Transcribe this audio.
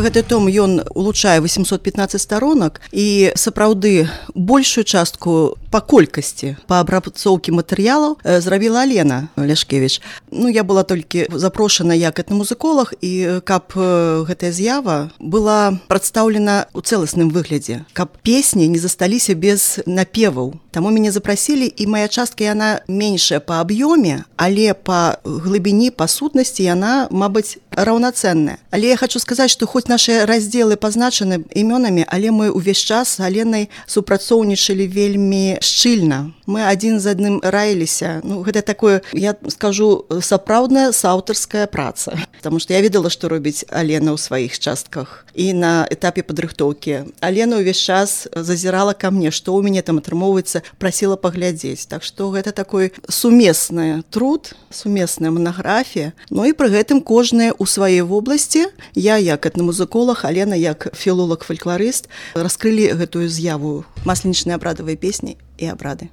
Гэты том ён улучшае 815 сторонак і сапраўды большую частку па колькасці па абрацоўкі матэрыялаў зрабіла Алена Ляшкевіч. Я была толькі запрошана як этнамузыколог, і каб гэтая з'ява была прадстаўлена ў цэласным выглядзе, каб песні не засталіся без напеваў. Таму мяне запрасілі, і моя частка яна меншая па аб'ёме, але па глыбіні, па сутнасці яна, мабыць, раўнацэнная. Але я хочу сказаць, што хоць нашыя раздзелы пазначаны імёнамі, але мы ўвесь час з Аленай супрацоўнічалі вельмі шчыльна. Мы адзін з адным раіліся. Гэта такое, я скажу, сапраўдная саўтарская праца. Таму што я ведала, што робіць Алена ў сваіх частках. І на этапе падрыхтоўкі Алена ўвесь час зазірала ка мне, што ў мяне там атрымоўваецца, прасіла паглядзець. Так што гэта такой сумесны труд, сумесная манаграфія. І пры гэтым кожная ў сваёй вобласці, я як этнамузыколог, Алена як філолог-фалькларыст, раскрылі гэтую з'яву масленічныя абрадавыя песні і абрады.